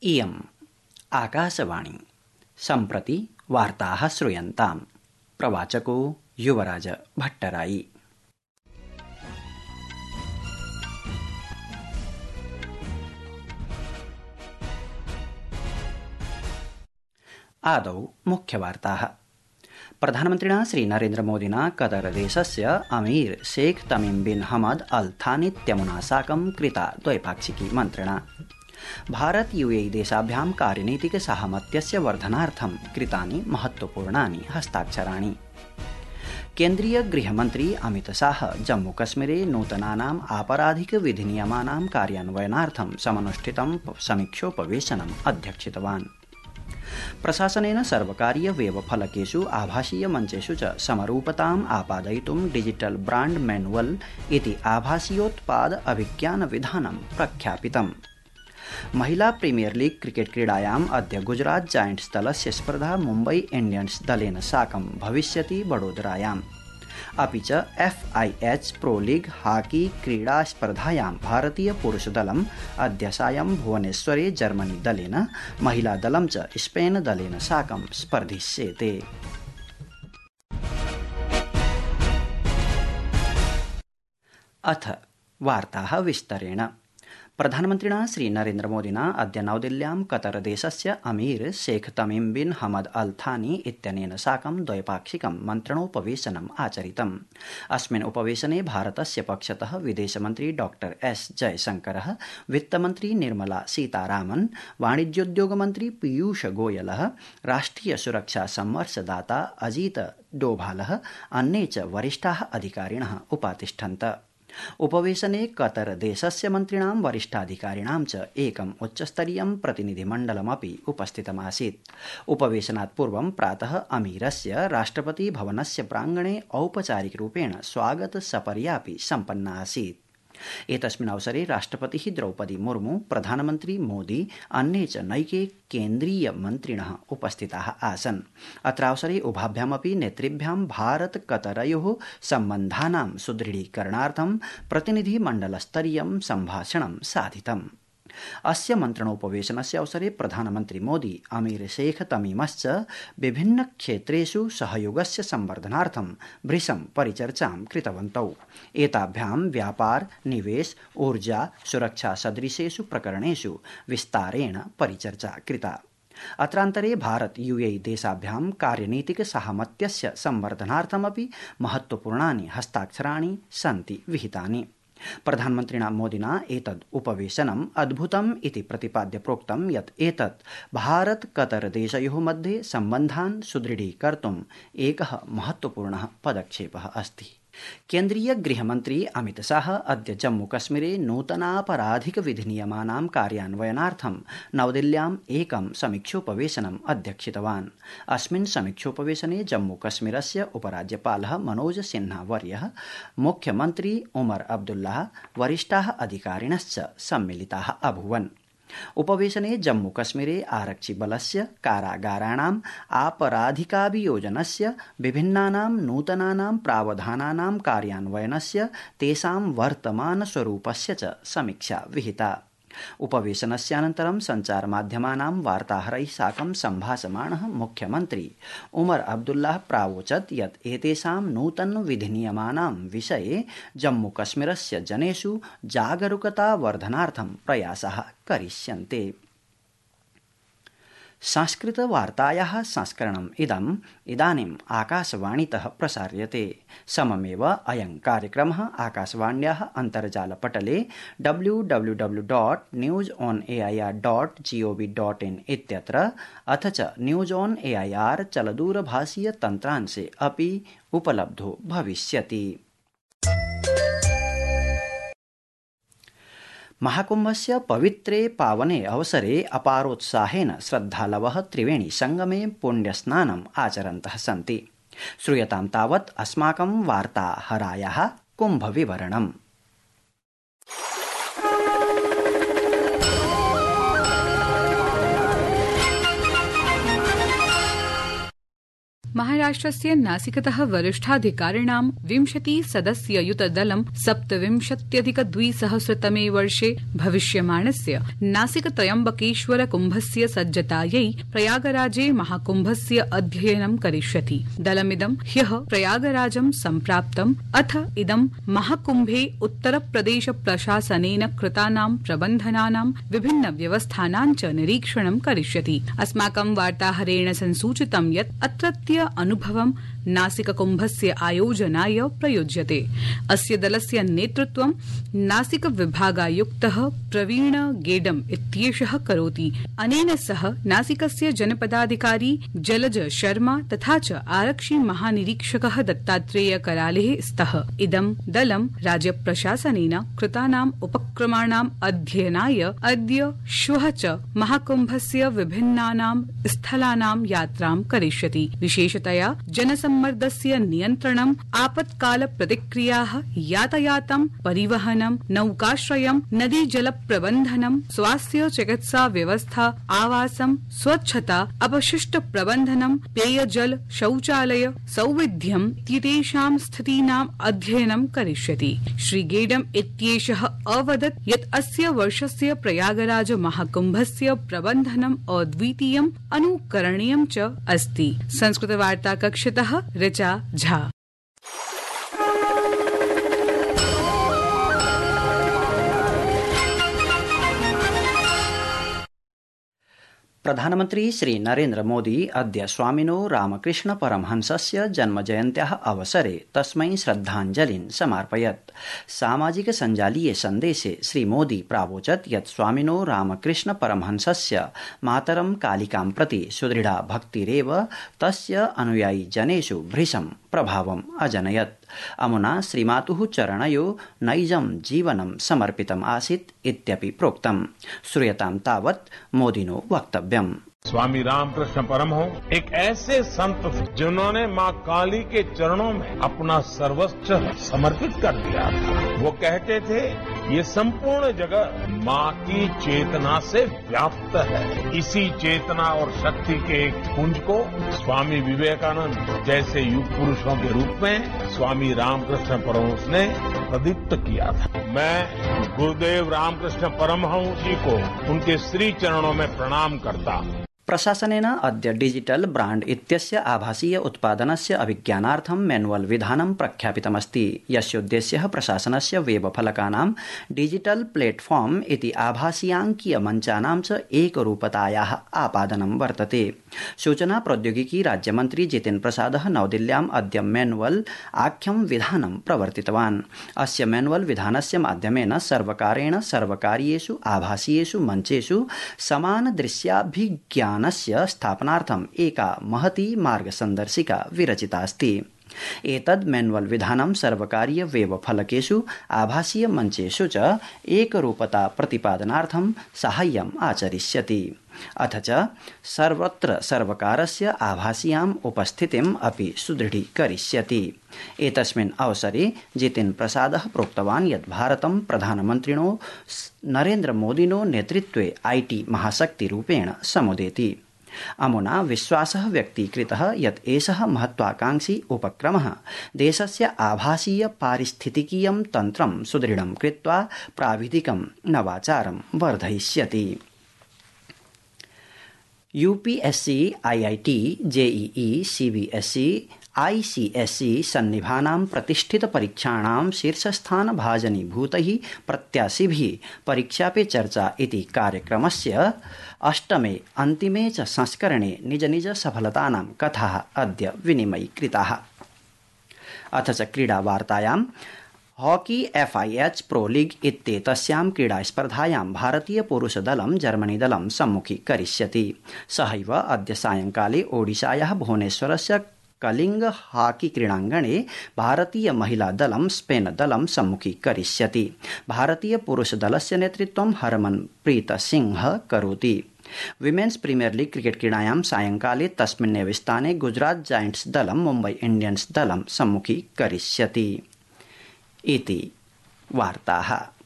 इयम् आकाशवाणी सम्प्रति वार्ताः श्रूयन्ताम्। प्रवाचको युवराज भट्टराई। आदौ मुख्यवार्ताः। प्रधानमन्त्रिणा श्री नरेन्द्रमोदिना कतरदेशस्य अमीर शेख तमीम बिन हमद अल थानीत्यमुना साकं कृता द्वैपाक्षिकी मन्त्रणा। भारत यूएई देशाभ्यां कार्यनीतिक साहमत्यस्य वर्धनार्थं कृतानि महत्वपूर्णानि हस्ताक्षराणि। केन्द्रीय गृहमन्त्री अमित शाह जम्मूकश्मीरे नूतनानाम् आपराधिक विधिनियमानां कार्यान्वयनार्थं समनुष्ठितं समीक्षोपवेशनम् अध्यक्षितवान्। प्रशासनेन सर्वकारीय वेबफलकेषु आभासीय मञ्चेषु च समरूपताम् आपादयितुं डिजिटल ब्रांड मैनुअल इति आभासीयोत्पाद अभिज्ञान विधानं प्रख्यापितम्। महिला प्रीमियर लीग क्रिकेट क्रीडायाम् अद्य गुजरात जायंट्स दलस्य स्पर्धा मुम्बई इंडियन्स दलेन साकं भविष्यति वडोदरायाम्। अपि च FIH प्रो लीग हाकी क्रीडा स्पर्धायां भारतीय पुरुषदलम् अद्य सायं भुवनेश्वरे जर्मनी दलेन, महिला दलं च स्पेन दलेन साकं स्पर्धिष्येते। अथ वार्ताः विस्तरेण। प्रधानमन्त्रिणा श्री नरेन्द्रमोदिना अद्य नवदिल्ल्यां कतरदेशस्य अमीर शेख तमीम बिन हमद अल थानी इत्यनेन साकं द्वैपाक्षिकं मन्त्रणोपवेशनम् आचरितम्। अस्मिन् उपवेशने भारतस्य पक्षतः विदेशमन्त्री डॉक्टर S जयशंकरः, वित्तमन्त्री निर्मला सीतारामन्, वाणिज्योद्योगमन्त्री पीयूष गोयलः, राष्ट्रिय सुरक्षा संवर्षदाता अजीत डोभालः, अन्ये च वरिष्ठाः अधिकारिणः उपातिष्ठन्त। उपवेशने कतर देशस्य मन्त्रिणां वरिष्ठाधिकारिणां च एकम् उच्चस्तरीयं प्रतिनिधिमण्डलमपि उपस्थितमासीत्। उपवेशनात् पूर्वं प्रातः अमीरस्य राष्ट्रपति भवनस्य प्राङ्गणे औपचारिकरूपेण स्वागत सपर्यापि सम्पन्ना आसीत्। एतस्मिन् अवसरे राष्ट्रपतिः द्रौपदी मुर्मू, प्रधानमन्त्री मोदी, अन्ये च नैके केन्द्रीय मन्त्रिणः उपस्थिताः आसन्। अत्रावसरे उभाभ्यामपि नेतृभ्यां भारत कतरयोः सम्बन्धानां सुदृढीकरणार्थं प्रतिनिधिमण्डलस्तरीयं सम्भाषणं साधितम्। अस्य मन्त्रणोपवेशनस्य अवसरे प्रधानमन्त्री मोदी अमीर शेख तमीमश्च विभिन्न क्षेत्रेषु सहयोगस्य संवर्धनार्थं भृशं परिचर्चां कृतवन्तौ। एताभ्यां व्यापार, निवेश, ऊर्जा, सुरक्षा सदृशेषु प्रकरणेषु विस्तारेण परिचर्चा कृता। अत्रान्तरे भारत यूएई देशाभ्यां कार्यनीतिक साहमत्यस्य संवर्धनार्थमपि महत्वपूर्णानि हस्ताक्षराणि सन्ति विहितानि। प्रधानमन्त्रिणा मोदिना एतद् उपवेशनम् अद्भुतम् इति प्रतिपाद्य प्रोक्तं यत् एतत् भारत कतर देशयोः मध्ये सम्बन्धान् सुदृढीकर्तुम् एकः महत्वपूर्णः पदक्षेपः अस्ति। केन्द्रीय गृहमन्त्री अमित शाह अद्य जम्मूकश्मीरे नूतनापराधिक विधिनियमानां कार्यान्वयनार्थं नवदिल्ल्याम् एकं समीक्षोपवेशनम् अध्यक्षितवान्। अस्मिन् समीक्षोपवेशने जम्मूकश्मीरस्य उपराज्यपालः मनोज सिन्हा वर्यः, मुख्यमन्त्री उमर अब्दुल्लाह, वरिष्ठाः अधिकारिणश्च सम्मिलिताः अभूवन्। उपवेशने जम्मूकश्मीरे आरक्षिबलस्य कारागाराणाम् आपराधिकाभियोजनस्य, विभिन्नानां नूतनानां प्रावधानानां कार्यान्वयनस्य, तेषां वर्तमानस्वरूपस्य च समीक्षा विहिता। उपवेशनस्य अनन्तरं सञ्चारमाध्यमानां वार्ताहरैः साकं सम्भाषमाणः मुख्यमन्त्री उमर अब्दुल्लाह प्रावोचत् यत् एतेषां नूतन विधिनियमानां विषये जम्मूकश्मीरस्य जनेषु जागरूकतावर्धनार्थं प्रयासाः करिष्यन्ते। संस्कृतवार्तायाः संस्करणम् इदानीम् आकाशवाणीतः प्रसार्यते। सममेव अयं कार्यक्रमः आकाशवाण्याः अन्तर्जालपटले www.newsonair.gov.in इत्यत्र अथ च न्यूज ऑन एआईआर चलदूरभाषीय तन्त्रांशे अपि उपलब्धो भविष्यति। महाकुम्भस्य पवित्रे पावने अवसरे अपारोत्साहेन श्रद्धालवः त्रिवेणी संगमे पुण्यस्नानम् आचरन्तः सन्ति। श्रूयतां तावत् अस्माकं वार्ताहरायाः कुम्भविवरणम्। महाराष्ट्र महाराष्ट्रस्य नासिकतः वरिष्ठाधिकारिणां 20 सदस्ययुतदलं 27,200तमे वर्षे भविष्यमाणस्य नासिक त्र्यम्बकेश्वर कुम्भस्य सज्जतायै प्रयागराजे महाकुम्भस्य अध्ययनं करिष्यति। दलमिदं ह्यः प्रयागराजं सम्प्राप्तम्। अथ इदं महाकुम्भे उत्तरप्रदेश प्रशासनेन कृतानां प्रबन्धनानां विभिन्न व्यवस्थानां च निरीक्षणं करिष्यति। अस्माकं वार्ताहरेण संसूचितं यत् अत्रत्य अनुभवं नासिककुम्भस्य आयोजनाय प्रयुज्यते। अस्य दलस्य नेतृत्वं नासिक विभागायुक्तः प्रवीण गेडम इत्येषः करोति। अनेन सह नासिकस्य जनपदाधिकारी जलज शर्मा तथा च आरक्षि महानिरीक्षकः दत्तात्रेय करालेः स्तः। इदं दलं राज्य प्रशासनेन कृतानाम् उपक्रमाणाम् अध्ययनाय अद्य श्वः च महाकुम्भस्य विभिन्नानां स्थलानां यात्रां करिष्यति। विशेषतया जनसम्मर्दस्य नियन्त्रणम्, आपत्काल प्रतिक्रियाः, यातायातं, परिवहनं, नौकाश्रयं, नदी जल प्रबन्धनं, स्वास्थ्य चिकित्सा व्यवस्था, आवासं, स्वच्छता, अपशिष्ट प्रबन्धनं, पेयजल, शौचालय, सौविध्यम् इत्येतेषां स्थितीनाम् अध्ययनं करिष्यति। श्री गेडम इत्येषः अवदत् यत् अस्य वर्षस्य प्रयागराज महाकुम्भस्य प्रबन्धनम् अद्वितीयम्, अनुकरणीयं च अस्ति। संस्कृतवार्ता कक्षतः ऋचा झा। प्रधानमन्त्री श्री नरेन्द्र मोदी अद्य स्वामिनो रामकृष्ण परमहंसस्य जन्मजयन्त्याः अवसरे तस्मै श्रद्धाञ्जलिं समार्पयत्। सामाजिक सञ्जालीय सन्देशे श्री मोदी प्रावोचत् यत् स्वामिनो रामकृष्ण परमहंसस्य मातरं कालिकां प्रति सुदृढा भक्तिरेव तस्य अनुयायी जनेषु भृशं प्रभावम् अजनयत्। अमुना श्रीमातुः चरणयो नैजं जीवनं समर्पितम् आसीत् इत्यपि प्रोक्तम्। श्रूयतां तावत् मोदिनो वक्तव्यम्। स्वामी रामकृष्ण परमहंस एक ऐसे संत थे जिन्होंने माँ काली के चरणों में अपना सर्वस्व समर्पित कर दिया था। वो कहते थे ये संपूर्ण जगत माँ की चेतना से व्याप्त है। इसी चेतना और शक्ति के एक पुंज को स्वामी विवेकानंद जैसे युग पुरुषों के रूप में स्वामी रामकृष्ण परमहंस ने प्रदीप्त किया था। मैं गुरुदेव रामकृष्ण परमहंस जी को उनके श्री चरणों में प्रणाम करता हूँ। प्रशासनेन अद्य डिजिटल ब्रांड इत्यस्य आभासीय उत्पादनस्य अभिज्ञानार्थं मैनुअल विधानं प्रख्यापितमस्ति। यस्योद्देश्यः प्रशासनस्य वेबफलकानां डिजिटल प्लेटफॉर्म इति आभासीयाङ्कीय मञ्चानां च एकरूपतायाः आपादनं वर्तते। सूचना प्रौद्योगिकी राज्यमन्त्री जितेन्द्र प्रसादः नवदिल्ल्याम् अद्य मैनुअल आख्यं विधानं प्रवर्तितवान्। अस्य मैनुअल विधानस्य माध्यमेन सर्वकारेण सर्वकारीयेषु आभासीयेषु मञ्चेषु समान दृश्याभिज्ञानस्य स्थापनार्थम् एका महती मार्गसन्दर्शिका विरचितास्ति। एतद् मैनुअल विधानं सर्वकारीय वेब फलकेषु आभासीय मञ्चेषु च एकरूपता प्रतिपादनार्थं साहाय्यम् आचरिष्यति। अथ च सर्वत्र सर्वकारस्य आभासीयाम् उपस्थितिम् अपि सुदृढीकरिष्यति। एतस्मिन् अवसरे जितेन्द्र प्रसादः प्रोक्तवान् यत् भारतं प्रधानमन्त्रिणो नरेन्द्र मोदिनो नेतृत्वे IT महाशक्तिरूपेण समुदेति। अमुना विश्वासः व्यक्तीकृतः यत् एषः महत्वाकांक्षी उपक्रमः देशस्य आभासीय पारिस्थितिकीयं तन्त्रं सुदृढं कृत्वा प्राविधिकं नवाचारं वर्धयिष्यति। UPSC, IIT, JEE, CBSE, ICSE सन्निभानां प्रतिष्ठित परीक्षाणां शीर्षस्थान भाजनीभूतैः प्रत्याशिभिः परीक्षा पे चर्चा इति कार्यक्रमस्य 8मे अन्तिमे च संस्करणे निज निज सफलतानां कथाः अद्य विनिमयीकृताः। अथ च क्रीडावार्तायां हॉकी FIH प्रो लीग इत्येतस्यां क्रीडास्पर्धायां भारतीय पुरुषदलं जर्मनीदलं सम्मुखीकरिष्यति। सहैव अद्य सायंकाले ओडिशायाः भुवनेश्वरस्य कलिंग हॉकी क्रीडाङ्गणे भारतीय महिला दलं स्पेन दलं सम्मुखीकरिष्यति। भारतीय पुरुषदलस्य नेतृत्वं हरमनप्रीत सिंह करोति। विमेन्स प्रीमियर लीग क्रिकेट क्रीडायां सायंकाले तस्मिन्नेव स्थाने गुजरात जायंट्स दलं मुम्बई इंडियंस दलं सम्मुखीकरिष्यति। इति वार्ताः।